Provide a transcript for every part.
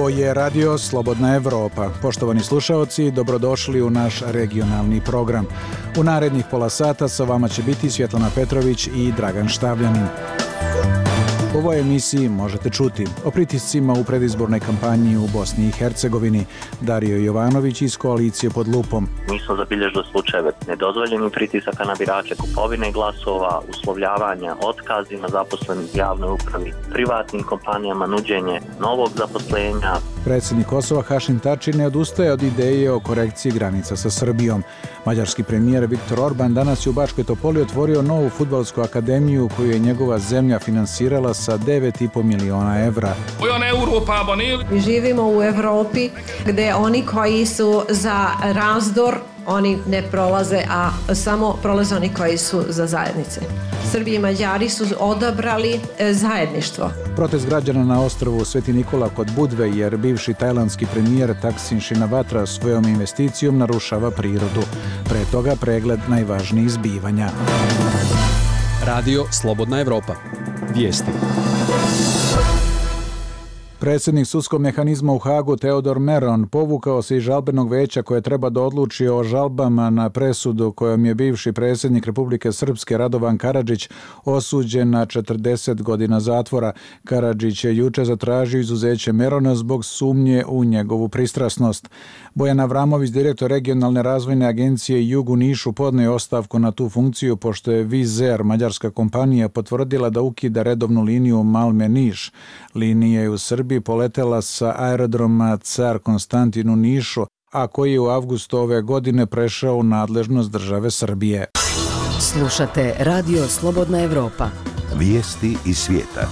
Ovo je Radio Slobodna Evropa. Poštovani slušaoci, dobrodošli u naš regionalni program. U narednih pola sata sa vama će biti Svjetlana Petrović i Dragan Štavljanin. U ovoj emisiji možete čuti o pritiscima u predizbornoj kampanji u Bosni i Hercegovini. Dario Jovanović iz koalicije Pod lupom. Mi smo zabilježili slučajeve nedozvoljenih pritisaka na birače, kupovine glasova, uslovljavanja, otkazima zaposlenih u javnoj upravi, privatnim kompanijama, nuđenje novog zaposlenja. Predsjednik Kosova Hašim Tači ne odustaje od ideje o korekciji granica sa Srbijom. Mađarski premijer Viktor Orban danas je u Bačkoj Topoli otvorio novu fudbalsku akademiju koju je njegova zemlja finansirala sa 9,5 miliona evra. Mi živimo u Evropi gdje oni koji su za razdor, oni ne prolaze, a samo prolaze oni koji su za zajednice. Srbi i Mađari su odabrali zajedništvo. Protest građana na ostrvu Sveti Nikola kod Budve jer bivši tajlandski premijer Thaksin Shinawatra svojom investicijom narušava prirodu. Pre toga pregled najvažnijih zbivanja. Radio Slobodna Evropa. Vijesti. Predsjednik sudskog mehanizma u Hagu Teodor Meron povukao se iz žalbenog veća koje treba da odluči o žalbama na presudu kojom je bivši predsjednik Republike Srpske Radovan Karadžić osuđen na 40 godina zatvora. Karadžić je juče zatražio izuzeće Merona zbog sumnje u njegovu pristrasnost. Bojan Avramović, direktor regionalne razvojne agencije Jug u Nišu, podneo je ostavku na tu funkciju pošto je Wizz Air, mađarska kompanija, potvrdila da ukida redovnu liniju Malme-Niš. Linija je u Srbiji poletela sa aerodroma Car Konstantin u Nišu, a koji je u avgustu ove godine prešao u nadležnost države Srbije. Slušate Radio Slobodna Evropa. Vijesti iz svijeta.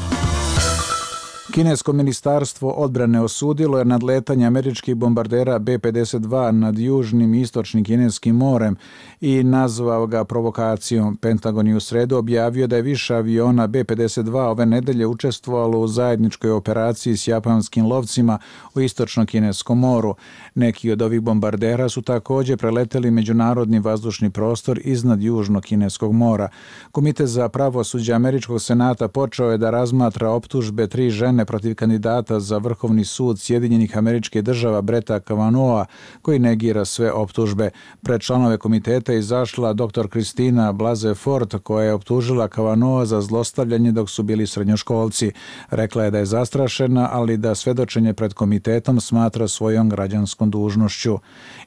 Kinesko ministarstvo odbrane osudilo je nadletanje američkih bombardera B-52 nad južnim i istočnim kineskim morem i nazvao ga provokacijom. Pentagon je u sredu objavio da je više aviona B-52 ove nedelje učestvovalo u zajedničkoj operaciji s japanskim lovcima u istočnom kineskom moru. Neki od ovih bombardera su također preleteli međunarodni vazdušni prostor iznad južnog kineskog mora. Komitet za pravosuđe američkog senata počeo je da razmatra optužbe 3 žene protiv kandidata za Vrhovni sud Sjedinjenih Američkih Država Bretta Kavanaugh'a, koji negira sve optužbe. Pred članove komiteta izašla dr. Kristina Blasey Ford, koja je optužila Kavanaugha za zlostavljanje dok su bili srednjoškolci. Rekla je da je zastrašena, ali da svedočenje pred komitetom smatra svojom građanskom dužnošću.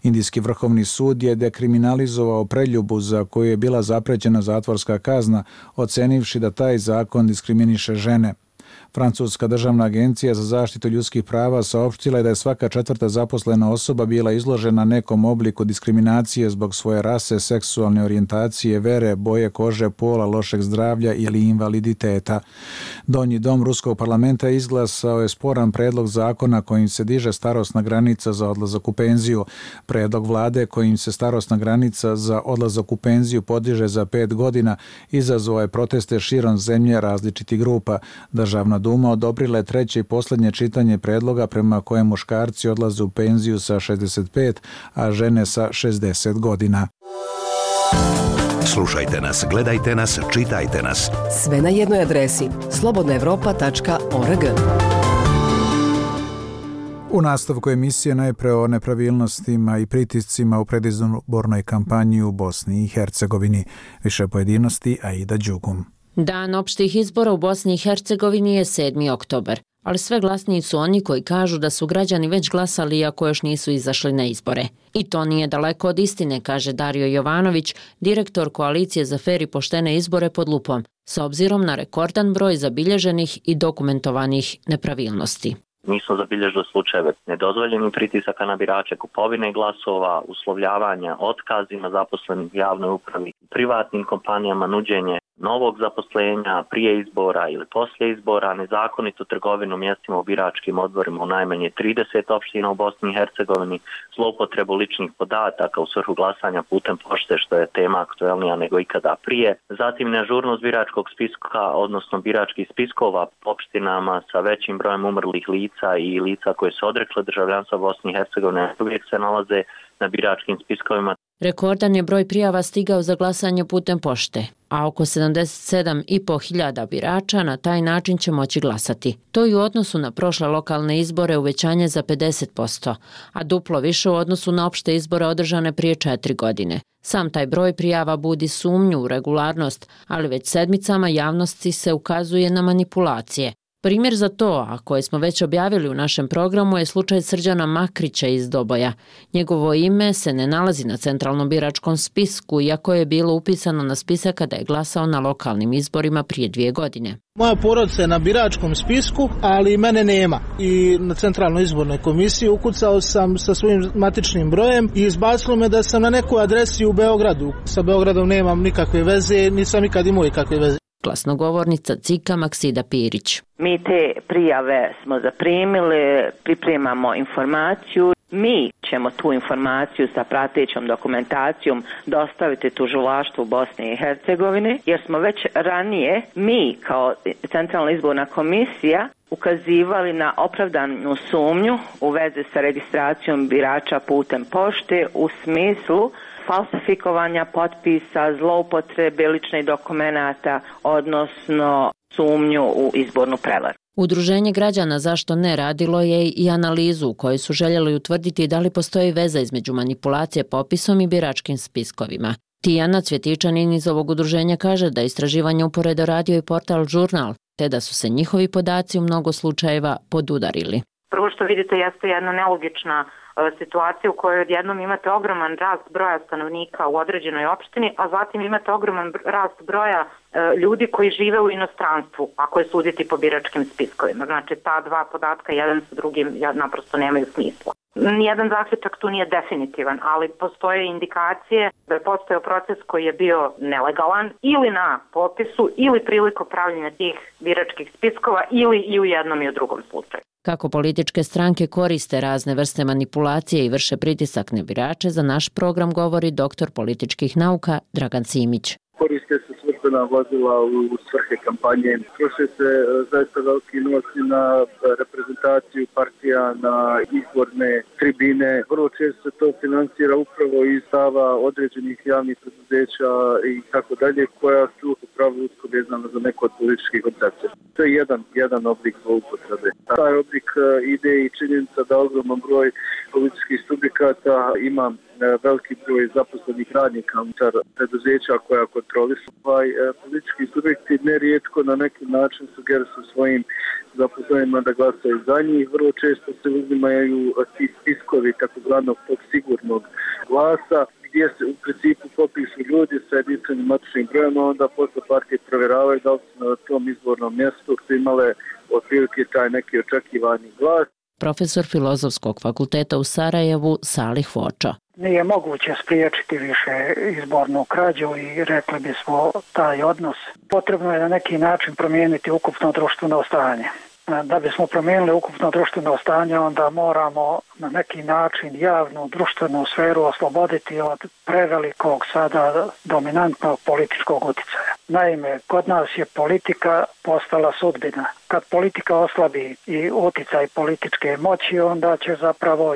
Indijski Vrhovni sud je dekriminalizovao preljubu za koju je bila zaprećena zatvorska kazna, ocenivši da taj zakon diskriminiše žene. Francuska državna agencija za zaštitu ljudskih prava saopštila je da je svaka 4. zaposlena osoba bila izložena nekom obliku diskriminacije zbog svoje rase, seksualne orijentacije, vere, boje kože, pola, lošeg zdravlja ili invaliditeta. Donji dom Ruskog parlamenta izglasao je sporan predlog zakona kojim se diže starosna granica za odlazak u penziju. Predlog vlade kojim se starosna granica za odlazak u penziju podiže za 5 godina izazvao je proteste širom zemlje različitih grupa. Državna Duma odobrila je treće i posljednje čitanje predloga prema kojem muškarci odlaze u penziju sa 65, a žene sa 60 godina. Slušajte nas, gledajte nas, čitajte nas. Sve na jednoj adresi slobodnaevropa.org. U nastavku emisije najpre o nepravilnostima i pritiscima u predizbornoj kampanji u Bosni i Hercegovini. Više pojedinosti Aida Đugum. Dan opštih izbora u Bosni i Hercegovini je 7. oktobar, ali sve glasniji su oni koji kažu da su građani već glasali iako još nisu izašli na izbore. I to nije daleko od istine, kaže Dario Jovanović, direktor koalicije za fer i poštene izbore Pod lupom, s obzirom na rekordan broj zabilježenih i dokumentovanih nepravilnosti. Mi smo zabilježili slučajeve nedozvoljenih pritisaka na birače, kupovine glasova, uslovljavanja, otkazima zaposlenih u javnoj upravi, privatnim kompanijama, nuđenje novog zaposlenja prije izbora ili poslije izbora, nezakonitu trgovinu mjestima u biračkim odborima u najmanje 30 opština u Bosni i Hercegovini, zloupotrebu ličnih podataka u svrhu glasanja putem pošte, što je tema aktuelnija nego ikada prije. Zatim neažurnost biračkog spiska, odnosno biračkih spiskova opštinama sa većim brojem umrlih lica i lica koje se odrekle državljanstva Bosni i Hercegovine uvijek se nalaze na biračkim spiskovima. Rekordan je broj prijava stigao za glasanje putem pošte, a oko 77.500 birača na taj način će moći glasati. To je u odnosu na prošle lokalne izbore uvećanje za 50%, a duplo više u odnosu na opšte izbore održane prije 4 godine. Sam taj broj prijava budi sumnju u regularnost, ali već sedmicama javnosti se ukazuje na manipulacije. Primjer za to, a koje smo već objavili u našem programu, je slučaj Srđana Makrića iz Doboja. Njegovo ime se ne nalazi na centralnom biračkom spisku, iako je bilo upisano na spisak kada je glasao na lokalnim izborima prije 2 godine. Moja porodica je na biračkom spisku, ali mene nema. I na centralnoj izbornoj komisiji ukucao sam sa svojim matičnim brojem i izbacilo me da sam na nekoj adresi u Beogradu. Sa Beogradom nemam nikakve veze, nisam nikad imao nikakve veze. Glasnogovornica CIK-a Maksida Pirić. Mi te prijave smo zaprimili, pripremamo informaciju. Mi ćemo tu informaciju sa pratećom dokumentacijom dostaviti tužilaštvu Bosne i Hercegovine, jer smo već ranije mi kao Centralna izborna komisija ukazivali na opravdanu sumnju u vezi sa registracijom birača putem pošte u smislu falsifikovanja potpisa, zloupotrebe ličnih dokumenata, odnosno sumnju u izbornu prevaru. Udruženje građana Zašto ne radilo je i analizu u kojoj su željeli utvrditi da li postoji veza između manipulacije popisom i biračkim spiskovima. Tijana Cvjetičanin iz ovog udruženja kaže da istraživanje uporedo radio i portal Žurnal, te da su se njihovi podaci u mnogo slučajeva podudarili. Prvo što vidite jeste jedna nelogična situacija u kojoj odjednom imate ogroman rast broja stanovnika u određenoj opštini, a zatim imate ogroman rast broja ljudi koji žive u inostranstvu, ako je suditi po biračkim spiskovima. Znači, ta dva podatka jedan sa drugim naprosto nemaju smisla. Nijedan zaključak tu nije definitivan, ali postoje indikacije da je postojao proces koji je bio nelegalan ili na popisu ili prilikom pravljenja tih biračkih spiskova ili i u jednom i u drugom slučaju. Kako političke stranke koriste razne vrste manipulacije i vrše pritisak na birače, za naš program govori doktor političkih nauka Dragan Simić. Koriste se službena vozila u svrhe kampanje. Troše se zaista veliki novci na reprezentaciju partija, na izborne tribine. Vrlo često se to finansira upravo iz stava određenih javnih preduzeća i tako dalje, koja su upravo usko vezana za neko od političkih koncepcija. To je jedan oblik zloupotrebe. Taj oblik ide i činjenica da ogroman broj političkih subjekata ima veliki broj zaposlenih radnika unutar preduzeća koja kontrolišu. Politički subjekti nerijetko na neki način sugerišu svojim zaposlenima da glasaju za njih. Vrlo često se uzimaju ti spiskovi takozvanog tog sigurnog glasa, gdje se u principu popišu ljudi sa jedinstvenim matičnim brojem, onda posle partije provjeravaju da li su na tom izbornom mjestu imale otprilike taj neki očekivani glas. Profesor Filozofskog fakulteta u Sarajevu Salih Fočo. Nije moguće spriječiti više izbornu krađu i rekli bismo taj odnos. Potrebno je na neki način promijeniti ukupno društveno stanje. Da bismo promijenili ukupno društveno stanje, onda moramo na neki način javnu društvenu sferu osloboditi od prevelikog sada dominantnog političkog utjecaja. Naime, kod nas je politika postala sudbina. Kad politika oslabi i utjecaj političke moći, onda će zapravo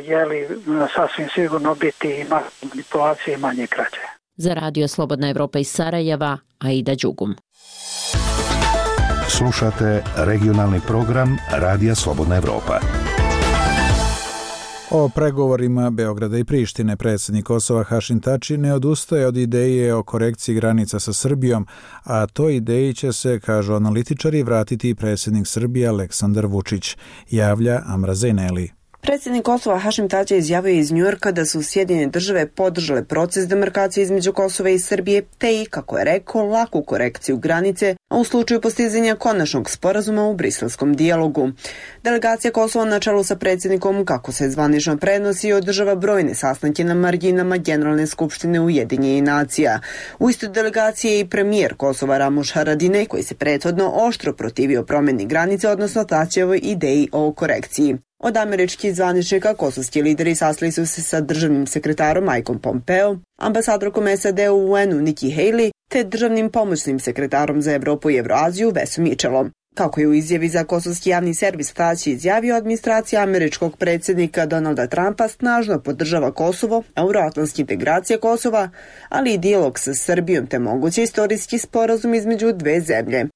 sasvim sigurno biti i manipulacije i manje krađe. Za Radio Slobodna Evropa iz Sarajeva, Aida Đugum. Slušate regionalni program Radija Slobodna Evropa. O pregovorima Beograda i Prištine predsjednik Kosova Hašim Tači ne odustaje od ideje o korekciji granica sa Srbijom, a toj ideji će se, kažu analitičari, vratiti i predsjednik Srbije Aleksandar Vučić, javlja Amra Zejneli. Predsjednik Kosova Hašim Tači izjavio iz Njujorka da su Sjedinjene države podržale proces demarkacije između Kosova i Srbije, te i, kako je rekao, laku korekciju granice, a u slučaju postizanja konačnog sporazuma u briselskom dijalogu. Delegacija Kosova na čelu sa predsjednikom, kako se zvanično prenosi, održava brojne sastanke na marginama Generalne skupštine Ujedinjenih nacija. U istoj delegaciji je i premijer Kosova Ramuš Haradinaj, koji se prethodno oštro protivio promjeni granice, odnosno Tačijevoj ideji o korekciji. Od američkih zvaničnika kosovski lideri sastali su se sa državnim sekretarom Mikeom Pompeo, ambasadorkom SAD u UN-u Nikki Haley, te državnim pomoćnim sekretarom za Evropu i Evroaziju Vesom Mitchellom. Kako je u izjavi za kosovski javni servis Tači izjavio, administracija američkog predsjednika Donalda Trumpa snažno podržava Kosovo, euroatlantske integracije Kosova, ali i dijalog sa Srbijom te mogući istorijski sporazum između dve zemlje.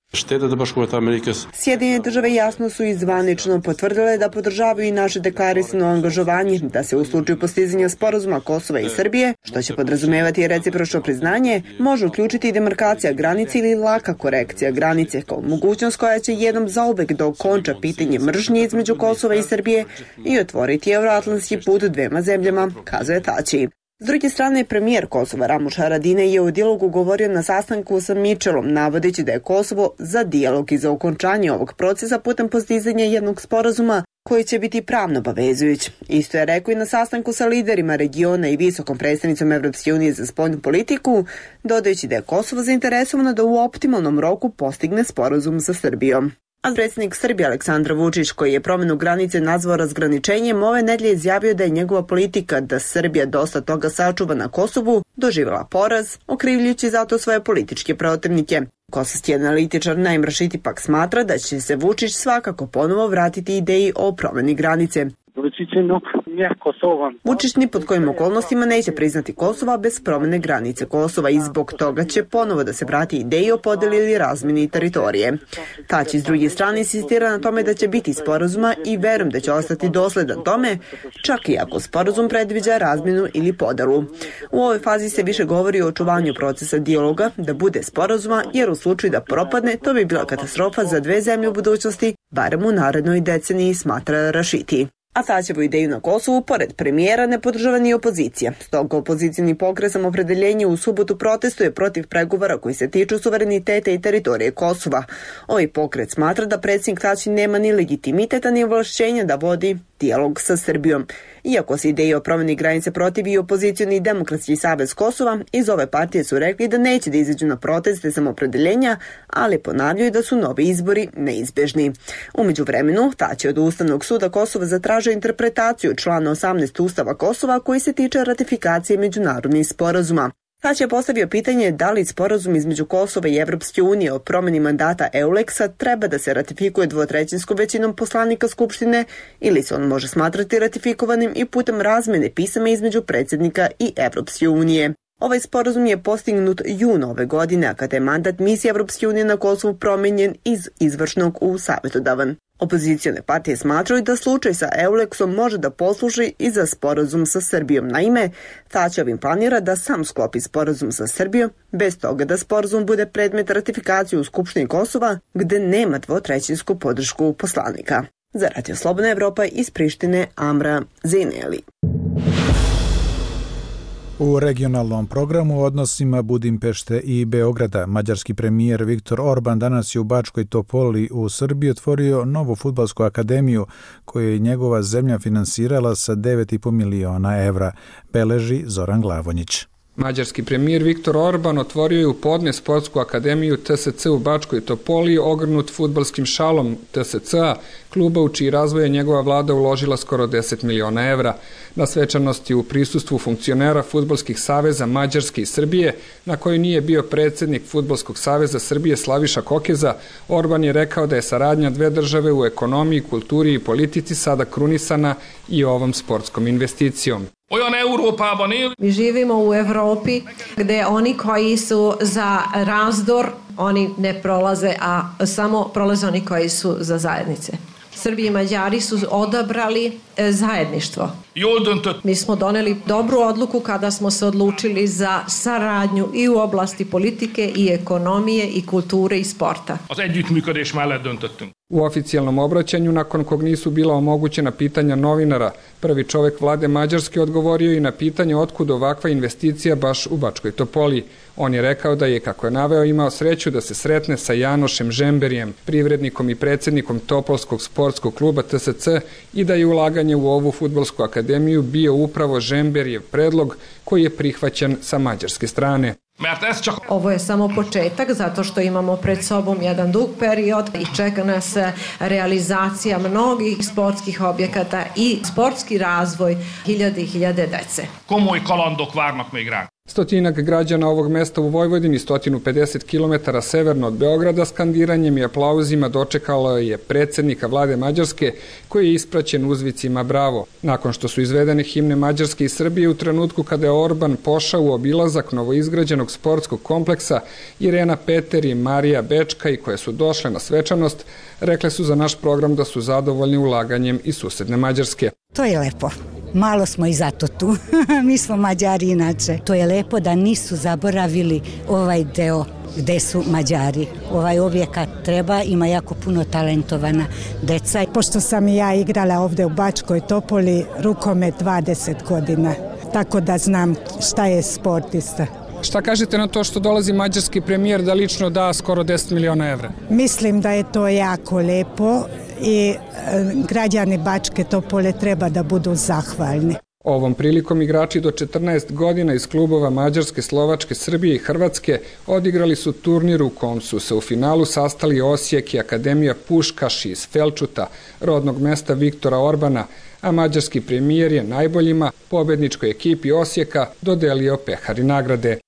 Sjedinjene države jasno su i zvanično potvrdile da podržavaju i naše deklarisano angažovanje da se u slučaju postizanja sporazuma Kosova i Srbije, što će podrazumevati recipročno priznanje, može uključiti i demarkacija granice ili laka korekcija granice kao mogućnost koja će jednom zauvek da okonča pitanje mržnje između Kosova i Srbije i otvoriti euroatlantski put dvema zemljama, kazuje Tači. S druge strane, premijer Kosova Ramuš Haradinaj je u dijalogu govorio na sastanku sa Mitchellom, navodeći da je Kosovo za dijalog i za okončanje ovog procesa putem postizanja jednog sporazuma koji će biti pravno obavezujuć. Isto je rekao i na sastanku sa liderima regiona i visokom predstavnicom Evropske unije za spoljnu politiku, dodajući da je Kosovo zainteresovano da u optimalnom roku postigne sporazum sa Srbijom. A predsjednik Srbije Aleksandar Vučić, koji je promjenu granice nazvao razgraničenjem, ove nedelje izjavio da je njegova politika da Srbija dosta toga sačuva na Kosovu doživjela poraz, okrivljujući zato svoje političke protivnike. Kosovski analitičar Naim Rašiti pak smatra da će se Vučić svakako ponovo vratiti ideji o promjeni granice. Vučić ni pod kojim okolnostima neće priznati Kosova bez promjene granice Kosova i zbog toga će ponovo da se vrati ideji o podeli ili razmjeni teritorije. Tači s druge strane insistira na tome da će biti sporazuma i verujem da će ostati dosledan tome, čak i ako sporazum predviđa razmjenu ili podelu. U ovoj fazi se više govori o očuvanju procesa dijaloga, da bude sporazuma, jer u slučaju da propadne, to bi bila katastrofa za dve zemlje u budućnosti, barem u narednoj deceniji, smatra Rašiti. A Tačevu ideju na Kosovu, pored premijera, ne podržava ni opozicija. Stoga opozicijni pokret Samoopredjeljenje u subotu protestuje protiv pregovora koji se tiču suvereniteta i teritorije Kosova. Ovaj pokret smatra da predsjednik Tači nema ni legitimiteta ni ovlašćenja da vodi dijalog sa Srbijom. Iako se ideji o promjeni granice protivi i opozicioni Demokratski savez Kosova, iz ove partije su rekli da neće da izađu na proteste Samoopredjeljenja, ali ponavljaju da su novi izbori neizbežni. U međuvremenu, Tači od Ustavnog suda Kosova zatražio interpretaciju člana 18 Ustava Kosova koji se tiče ratifikacije međunarodnih sporazuma. Tači je postavio pitanje da li sporazum između Kosova i Evropske unije o promjeni mandata EULEX-a treba da se ratifikuje dvotrećinskom većinom poslanika Skupštine ili se on može smatrati ratifikovanim i putem razmjene pisama između predsjednika i Evropske unije. Ovaj sporazum je postignut juna ove godine, a kada je mandat misije Evropske unije na Kosovu promijenjen iz izvršnog u savjetodavan. Opozicione partije smatraju da slučaj sa EULEX-om može da posluži i za sporazum sa Srbijom. Naime, Tači ovim planira da sam sklopi sporazum sa Srbijom, bez toga da sporazum bude predmet ratifikacije u Skupštini Kosova, gde nema dvotrećinsku podršku poslanika. Za Radio Slobodna Evropa iz Prištine, Amra Zineli. U regionalnom programu o odnosima Budimpešte i Beograda, mađarski premijer Viktor Orban danas je u Bačkoj Topoli u Srbiji otvorio novu fudbalsku akademiju koju je njegova zemlja finansirala sa 9,5 miliona evra, beleži Zoran Glavonjić. Mađarski premijer Viktor Orban otvorio je u podne sportsku akademiju TSC u Bačkoj Topoli, ogrnut fudbalskim šalom TSC-a, kluba u čiji razvoj je njegova vlada uložila skoro 10 miliona evra. Na svečanosti u prisustvu funkcionera fudbalskih saveza Mađarske i Srbije, na kojoj nije bio predsjednik Fudbalskog saveza Srbije Slaviša Kokeza, Orban je rekao da je saradnja dve države u ekonomiji, kulturi i politici sada krunisana i ovom sportskom investicijom. Mi živimo u Evropi gdje oni koji su za razdor, oni ne prolaze, a samo prolaze oni koji su za zajednice. Srbi i Mađari su odabrali zajedništvo. Mi smo doneli dobru odluku kada smo se odlučili za saradnju i u oblasti politike i ekonomije i kulture i sporta. U oficijalnom obraćanju, nakon kog nisu bila omogućena pitanja novinara, prvi čovjek vlade Mađarske odgovorio i na pitanje otkud ovakva investicija baš u Bačkoj Topoli. On je rekao da je, kako je naveo, imao sreću da se sretne sa Janošem Žemberijem, privrednikom i predsjednikom Topolskog sportskog kluba TSC, i da je ulaganje u ovu fudbalsku akademiju bio upravo Žemberijev predlog koji je prihvaćen sa mađarske strane. Ovo je samo početak zato što imamo pred sobom jedan dug period i čeka nas realizacija mnogih sportskih objekata i sportski razvoj hiljade i hiljade dece. Stotinak građana ovog mesta u Vojvodini, 150 km severno od Beograda, skandiranjem i aplauzima dočekalo je predsjednika vlade Mađarske, koji je ispraćen uzvicima bravo. Nakon što su izvedene himne Mađarske i Srbije, u trenutku kada je Orban pošao u obilazak novoizgrađenog sportskog kompleksa, Irena Peter i Marija Bečkaj, koje su došle na svečanost, rekle su za naš program da su zadovoljni ulaganjem iz susedne Mađarske. To je lepo. Malo smo i zato tu. Mi smo Mađari inače. To je lepo da nisu zaboravili ovaj deo gde su Mađari. Ovaj objekat treba, ima jako puno talentovana deca. Pošto sam i ja igrala ovde u Bačkoj Topoli rukomet 20 godina, tako da znam šta je sportista. Šta kažete na to što dolazi mađarski premijer da lično da skoro 10 miliona evra? Mislim da je to jako lepo i građani Bačke Topole treba da budu zahvalni. Ovom prilikom igrači do 14 godina iz klubova Mađarske, Slovačke, Srbije i Hrvatske odigrali su turnir u kom su se u finalu sastali Osijek i Akademija Puškaš iz Felčuta, rodnog mesta Viktora Orbana, a mađarski premijer je najboljima, pobedničkoj ekipi Osijeka, dodelio pehar i nagrade.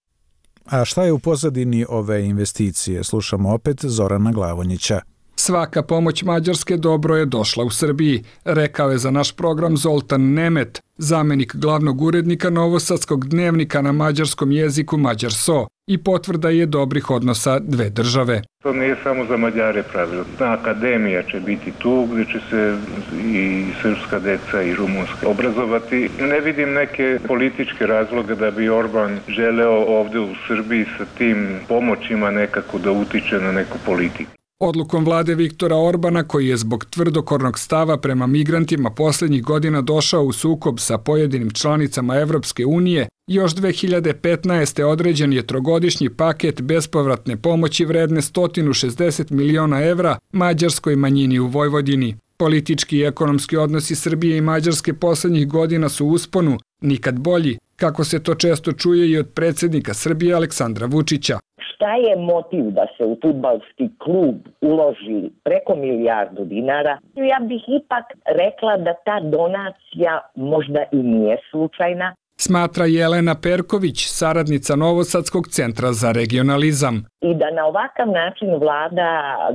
A šta je u pozadini ove investicije? Slušamo opet Zorana Glavonjića. Svaka pomoć Mađarske dobro je došla u Srbiji, rekao je za naš program Zoltan Nemet, zamenik glavnog urednika Novosadskog dnevnika na mađarskom jeziku Mađarso, i potvrda je dobrih odnosa dve države. To nije samo za Mađare pravilo. Akademija će biti tu gdje će se i srpska deca i rumunska obrazovati. Ne vidim neke političke razloge da bi Orban želeo ovdje u Srbiji sa tim pomoćima nekako da utiče na neku politiku. Odlukom vlade Viktora Orbana, koji je zbog tvrdokornog stava prema migrantima posljednjih godina došao u sukob sa pojedinim članicama Evropske unije, još 2015. određen je trogodišnji paket bespovratne pomoći vredne 160 miliona evra mađarskoj manjini u Vojvodini. Politički i ekonomski odnosi Srbije i Mađarske posljednjih godina su u usponu, nikad bolji, kako se to često čuje i od predsjednika Srbije Aleksandra Vučića. Šta je motiv da se u fudbalski klub uloži preko milijardu dinara? Ja bih ipak rekla da ta donacija možda i nije slučajna. Smatra Jelena Perković, saradnica Novosadskog centra za regionalizam. I da na ovakav način vlada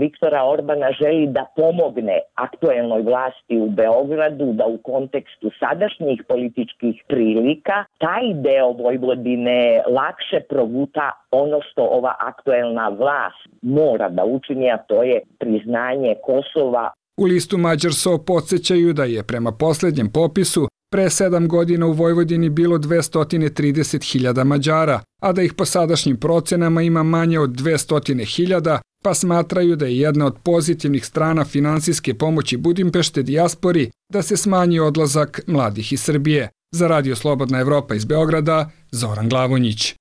Viktora Orbana želi da pomogne aktuelnoj vlasti u Beogradu, da u kontekstu sadašnjih političkih prilika taj deo Vojvodine lakše proguta ono što ova aktuelna vlast mora da učini, a to je priznanje Kosova. U listu Mađarso podsjećaju da je prema posljednjem popisu pre 7 godina u Vojvodini bilo 230.000 Mađara, a da ih po sadašnjim procenama ima manje od 200.000, pa smatraju da je jedna od pozitivnih strana finansijske pomoći Budimpešte dijaspori da se smanji odlazak mladih iz Srbije. Za Radio Slobodna Evropa iz Beograda, Zoran Glavonjić.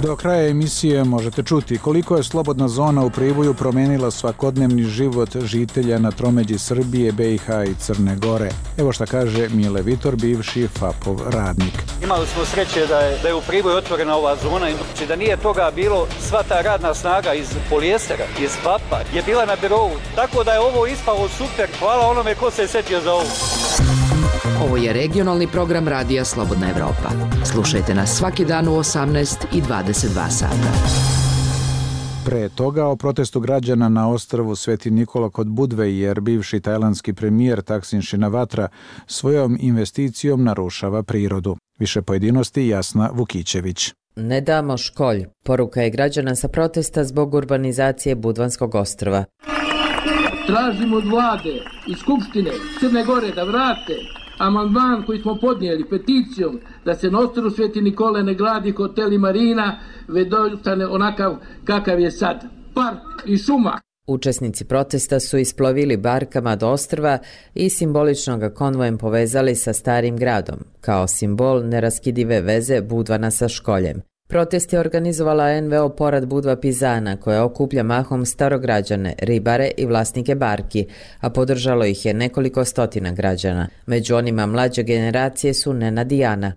Do kraja emisije možete čuti koliko je slobodna zona u Priboju promenila svakodnevni život žitelja na tromeđi Srbije, BiH i Crne Gore. Evo šta kaže Mile Vitor, bivši FAP-ov radnik. Imali smo sreće da je u Priboju otvorena ova zona, znači da nije toga bilo, sva ta radna snaga iz polijestera, iz FAP-a je bila na birovu, tako da je ovo ispalo super, hvala onome ko se je setio za ovo. Ovo je regionalni program Radija Slobodna Evropa. Slušajte nas svaki dan u 18 i 22 sata. Pre toga o protestu građana na ostrvu Sveti Nikola kod Budve, jer bivši tajlandski premijer Thaksin Shinawatra svojom investicijom narušava prirodu. Više pojedinosti Jasna Vukićević. Ne damo školj. Poruka je građana sa protesta zbog urbanizacije Budvanskog ostrva. Tražimo od vlade i Skupštine Crne Gore da vrate amandman koji smo podnijeli peticijom da se na ostrvu Sveti Nikole ne gradi hotel i marina, već ostane onakav kakav je sad. Park i šuma. Učesnici protesta su isplovili barkama do ostrva i simbolično ga konvojem povezali sa starim gradom, kao simbol neraskidive veze Budvana sa školjem. Protest je organizovala NVO Porad Budva Pizana, koja okuplja mahom starograđane, ribare i vlasnike barki, a podržalo ih je nekoliko stotina građana. Među onima mlađe generacije su Nenad i Ana.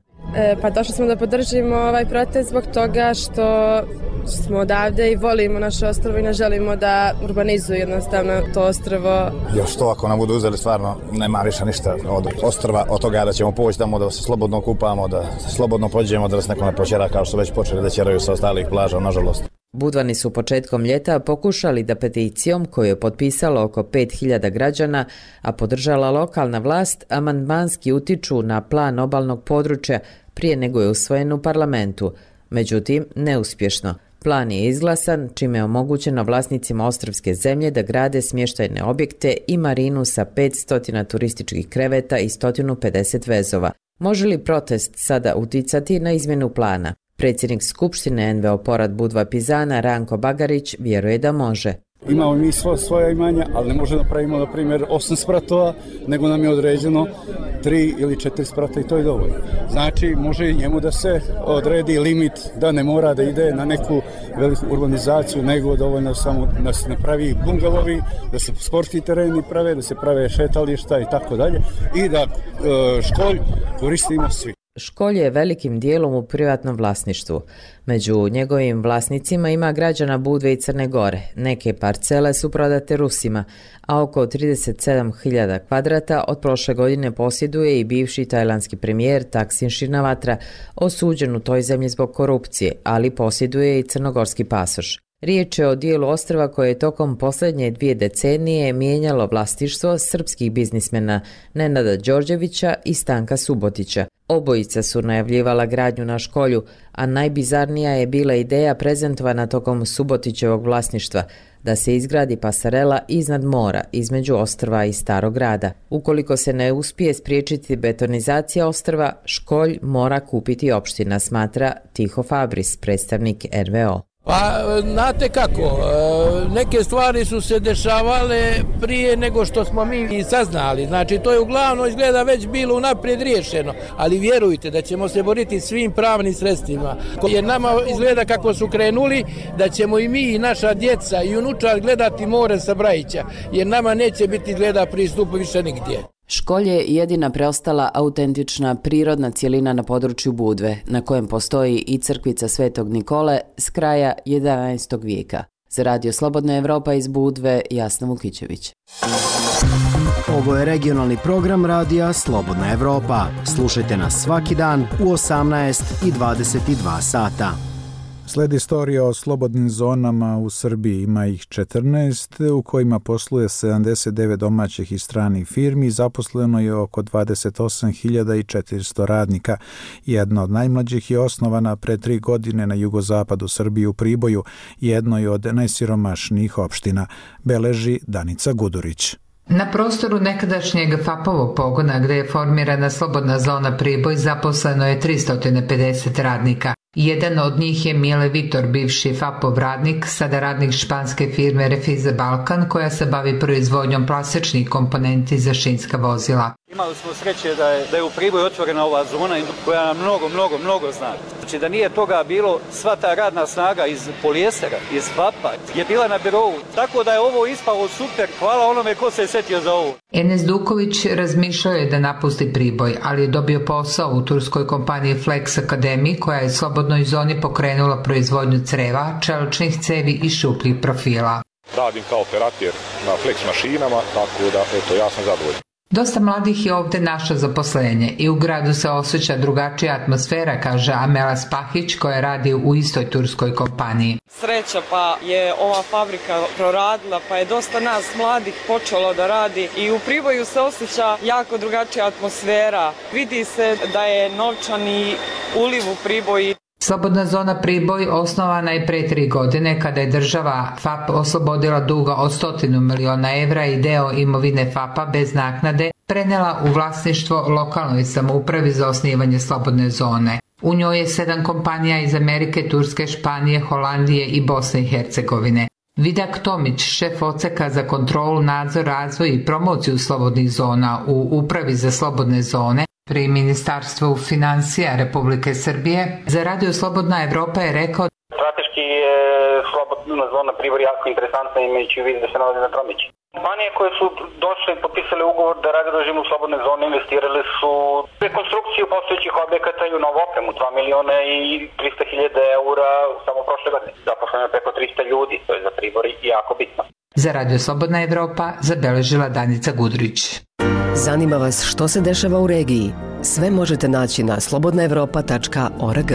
Pa došli smo da podržimo ovaj protest zbog toga što smo odavde i volimo naše ostrvo i ne želimo da urbanizuju jednostavno to ostrvo. Još to ako nam budu uzeli stvarno nema više ništa od ostrva, od toga da ćemo poći tamo da se slobodno kupamo, da se slobodno pođemo, da nas neko ne počera kao što već počeli da ćeraju sa ostalih plaža, nažalost. Budvani su početkom ljeta pokušali da peticijom koju je potpisalo oko 5000 građana, a podržala lokalna vlast, amandmanski utiču na plan obalnog područja prije nego je usvojen u parlamentu. Međutim, neuspješno. Plan je izglasan, čime je omogućeno vlasnicima ostrvske zemlje da grade smještajne objekte i marinu sa 500 turističkih kreveta i 150 vezova. Može li protest sada uticati na izmjenu plana? Predsjednik Skupštine NVO Porad Budva Pizana Ranko Bagarić vjeruje da može. Imamo mi svoja imanja, ali ne možemo da pravimo, na primjer, 8 spratova, nego nam je određeno 3 ili 4 sprata i to je dovoljno. Znači, može i njemu da se odredi limit, da ne mora da ide na neku veliku urbanizaciju, nego dovoljno samo da se napravi bungalovi, da se sportski tereni prave, da se prave šetališta i tako dalje i da školj koristimo svi. Školj je velikim dijelom u privatnom vlasništvu. Među njegovim vlasnicima ima građana Budve i Crne Gore. Neke parcele su prodate Rusima, a oko 37.000 kvadrata od prošle godine posjeduje i bivši tajlandski premijer Taksin Shinawatra, osuđen u toj zemlji zbog korupcije, ali posjeduje i crnogorski pasoš. Riječ je o dijelu ostrva koje je tokom posljednje 2 decenije mijenjalo vlasništvo srpskih biznismena Nenada Đorđevića i Stanka Subotića. Obojica su najavljivala gradnju na školju, a najbizarnija je bila ideja prezentovana tokom Subotićevog vlasništva, da se izgradi pasarela iznad mora, između ostrva i Starog grada. Ukoliko se ne uspije spriječiti betonizacija ostrva, školj mora kupiti opština, smatra Tiho Fabris, predstavnik NVO. Pa, znate kako, neke stvari su se dešavale prije nego što smo mi i saznali. Znači, to je uglavnom izgleda već bilo unaprijed riješeno, ali vjerujte da ćemo se boriti svim pravnim sredstvima. Jer nama izgleda kako su krenuli da ćemo i mi i naša djeca i unučad gledati more sa Brajića, jer nama neće biti izgleda pristupa više nigdje. Školj je jedina preostala autentična prirodna cjelina na području Budve, na kojem postoji i crkvica Svetog Nikole s kraja 11. vijeka. Za Radio Slobodna Evropa iz Budve, Jasna Vukićević. Ovo je regionalni program Radija Slobodna Evropa. Slušajte nas svaki dan u 18 i 22 sata. Sledi istorija o slobodnim zonama u Srbiji. Ima ih 14 u kojima posluje 79 domaćih i stranih firmi. Zaposleno je oko 28.400 radnika. Jedna od najmlađih je osnovana pre 3 godine na jugozapadu Srbije u Priboju, jednoj od najsiromašnijih opština, beleži Danica Gudurić. Na prostoru nekadašnjeg FAP-ovog pogona gdje je formirana slobodna zona Priboj zaposleno je 350 radnika. Jedan od njih je Mile Vitor, bivši FAP-ov radnik, sada radnik španske firme Refize Balkan koja se bavi proizvodnjom plastičnih komponenti za šinska vozila. Imali smo sreće da je u Priboju otvorena ova zona koja nam mnogo znači. Znači da nije toga bilo, sva ta radna snaga iz polijestera, iz FAP-a je bila na birovu. Tako da je ovo ispalo super, hvala onome ko se je setio za ovo. Enes Duković razmišljao je da napusti Priboj, ali je dobio posao u turskoj kompaniji Flex Academy koja je slobodnoj zoni pokrenula proizvodnju creva, čeličnih cevi i šupljih profila. Radim kao operator na Flex mašinama, tako da ja sam zadovoljan. Dosta mladih je ovdje našlo zaposlenje i u gradu se osjeća drugačija atmosfera, kaže Amela Spahić koja radi u istoj turskoj kompaniji. Sreća pa je ova fabrika proradila, pa je dosta nas mladih počelo da radi i u Priboju se osjeća jako drugačija atmosfera. Vidi se da je novčani uliv u Priboju. Slobodna zona Priboj osnovana je pre 3 godine kada je država FAP oslobodila duga od 100 miliona evra i deo imovine FAP-a bez naknade prenela u vlasništvo lokalnoj samoupravi za osnivanje slobodne zone. U njoj je 7 kompanija iz Amerike, Turske, Španije, Holandije i Bosne i Hercegovine. Vidak Tomić, šef odseka za kontrolu, nadzor, razvoj i promociju slobodnih zona u Upravi za slobodne zone pri Ministarstvu financija Republike Srbije, za Radio Slobodna Evropa je rekao: Strateški je slobodna zona Priboj jako interesantna imajući u vidu da se nalazi na Tromići. Kompanije koje su došle i potpisale ugovor da rade u režimu slobodne zone investirali su rekonstrukciju postojećih objekata i u novu opremu, 2.300.000 eura samo prošle godine. Zaposleno je preko 300 ljudi, to je za Pribor jako bitno. Za Radio Slobodna Evropa zabeležila Danica Gudrić. Zanima vas što se dešava u regiji? Sve možete naći na slobodnaevropa.org.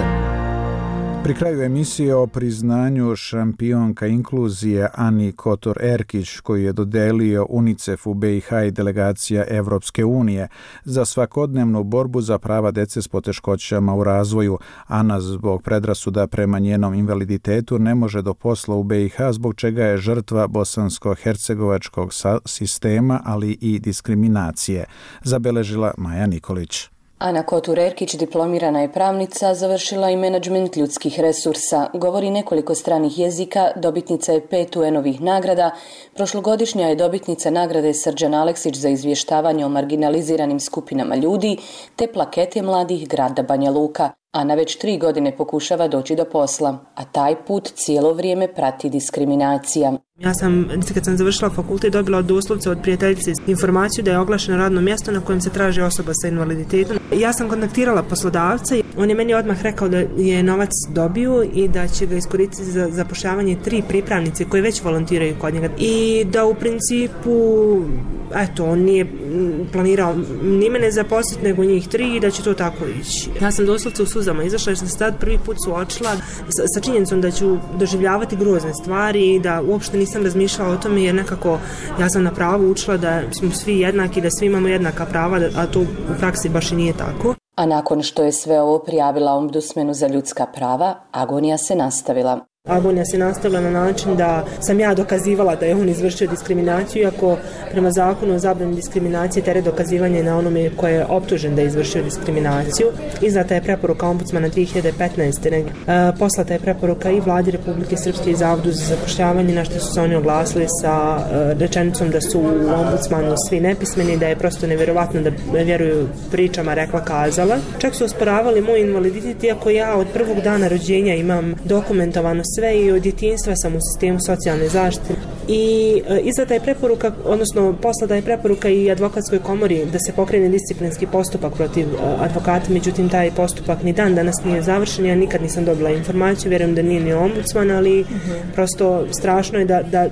Pri kraju emisije o priznanju šampionka inkluzije Ani Kotor-Erkić, koju je dodelio UNICEF u BiH i delegacija Evropske unije za svakodnevnu borbu za prava dece s poteškoćama u razvoju. Ana zbog predrasuda prema njenom invaliditetu ne može do posla u BiH, zbog čega je žrtva bosansko-hercegovačkog sistema, ali i diskriminacije, zabeležila Maja Nikolić. Ana Kotor-Erkić diplomirana je pravnica, završila i menadžment ljudskih resursa, govori nekoliko stranih jezika, dobitnica je 5 UN-ovih nagrada, prošlogodišnja je dobitnica nagrade Srđan Aleksić za izvještavanje o marginaliziranim skupinama ljudi, te plakete mladih grada Banja Luka. Ana već 3 godine pokušava doći do posla, a taj put cijelo vrijeme prati diskriminacija. Ja sam, kad sam završila fakultet, dobila doslovce od prijateljice informaciju da je oglašeno radno mjesto na kojem se traži osoba sa invaliditetom. Ja sam kontaktirala poslodavca i on je meni odmah rekao da je novac dobio i da će ga iskoristiti za zapošljavanje 3 pripravnice koje već volontiraju kod njega. I da u principu, on nije planirao ni mene zaposliti nego njih 3 i da će to tako ići. Ja sam doslovce u suzama izašla jer sam se tad prvi put suočila sa činjenicom da ću doživljavati grozne stvari i da uopšte nisam razmišljala o tome jer nekako ja sam na pravu učila da smo svi jednaki, da svi imamo jednaka prava, a to u praksi baš i nije tako. A nakon što je sve ovo prijavila Ombudsmanu za ljudska prava, agonija se nastavila. Agonija se nastavila na način da sam ja dokazivala da je on izvršio diskriminaciju, iako prema zakonu o zabrani diskriminacije teret dokazivanja na onome koje je optužen da je izvršio diskriminaciju. Izdata je preporuka ombudsmana 2015. Poslata je preporuka i Vladi Republike Srpske i Zavodu za zapošljavanje, na što su se oni oglasili sa rečenicom da su u ombudsmanu svi nepismeni, da je prosto nevjerovatno da vjeruju pričama rekla kazala. Čak su osporavali moj invaliditet, iako ja od prvog dana rođenja imam dokumentovano sve i od djetinjstva sam u sistemu socijalne zaštite. I izdata je preporuka, odnosno poslata je preporuka i advokatskoj komori da se pokrene disciplinski postupak protiv advokata, međutim taj postupak ni dan danas nije završen, ja nikad nisam dobila informaciju, vjerujem da nije ni ombudsman, ali prosto strašno je da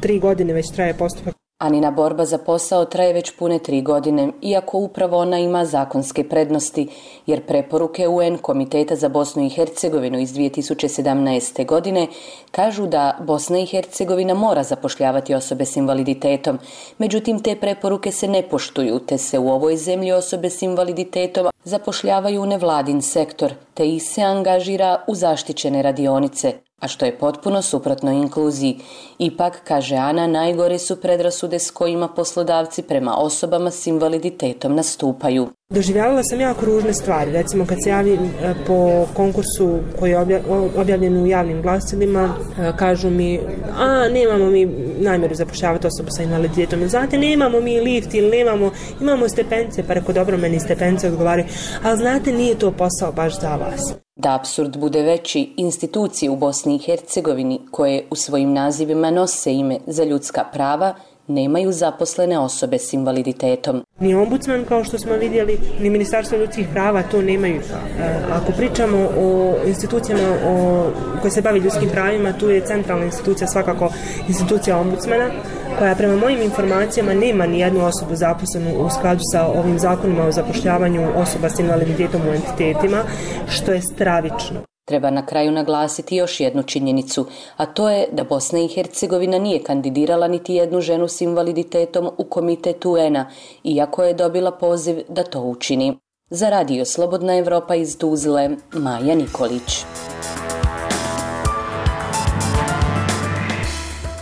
3 godine već traje postupak. Anina borba za posao traje već pune 3 godine, iako upravo ona ima zakonske prednosti, jer preporuke UN Komiteta za Bosnu i Hercegovinu iz 2017. godine kažu da Bosna i Hercegovina mora zapošljavati osobe s invaliditetom. Međutim, te preporuke se ne poštuju, te se u ovoj zemlji osobe s invaliditetom zapošljavaju u nevladin sektor, te ih se angažira u zaštićene radionice, a što je potpuno suprotno inkluziji. Ipak, kaže Ana, najgore su predrasude s kojima poslodavci prema osobama s invaliditetom nastupaju. Doživljavala sam jako ružne stvari. Recimo kad se javim po konkursu koji je objavljen u javnim glasilima, kažu mi, nemamo mi namjeru zapošljavati osobu sa invaliditetom. Znate, nemamo mi lift ili imamo stepence, pa reko dobro, meni stepence odgovaraju, ali znate, nije to posao baš za vas. Da apsurd bude veći, institucije u Bosni i Hercegovini koje u svojim nazivima nose ime za ljudska prava nemaju zaposlene osobe s invaliditetom. Ni ombudsman, kao što smo vidjeli, ni Ministarstvo ljudskih prava to nemaju. Ako pričamo o institucijama koje se bavi ljudskim pravima, tu je centralna institucija svakako institucija ombudsmana, koja prema mojim informacijama nema ni jednu osobu zaposlenu u skladu sa ovim zakonima o zapošljavanju osoba s invaliditetom u entitetima, što je stravično. Treba na kraju naglasiti još jednu činjenicu, a to je da Bosna i Hercegovina nije kandidirala niti jednu ženu s invaliditetom u Komitet UN-a, iako je dobila poziv da to učini. Za Radio Slobodna Evropa iz Tuzle, Maja Nikolić.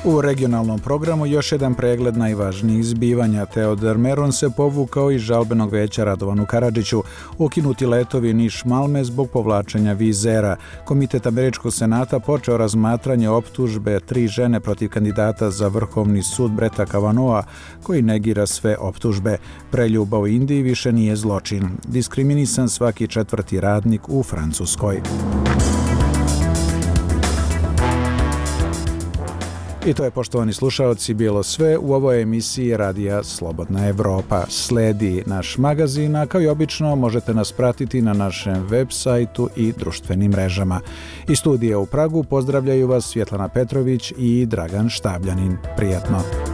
U regionalnom programu još jedan pregled najvažnijih zbivanja. Teodor Meron se povukao iz žalbenog veća Radovanu Karadžiću. Ukinuti letovi Niš-Malme zbog povlačenja vizera. Komitet Američkog senata počeo razmatranje optužbe 3 žene protiv kandidata za Vrhovni sud Breta Kavanaugha, koji negira sve optužbe. Preljuba u Indiji više nije zločin. Diskriminisan svaki 4. radnik u Francuskoj. I to je, poštovani slušaoci, bilo sve u ovoj emisiji Radija Slobodna Evropa. Sledi naš magazin, a kao i obično možete nas pratiti na našem web sajtu i društvenim mrežama. Iz studija u Pragu pozdravljaju vas Svjetlana Petrović i Dragan Štabljanin. Prijatno!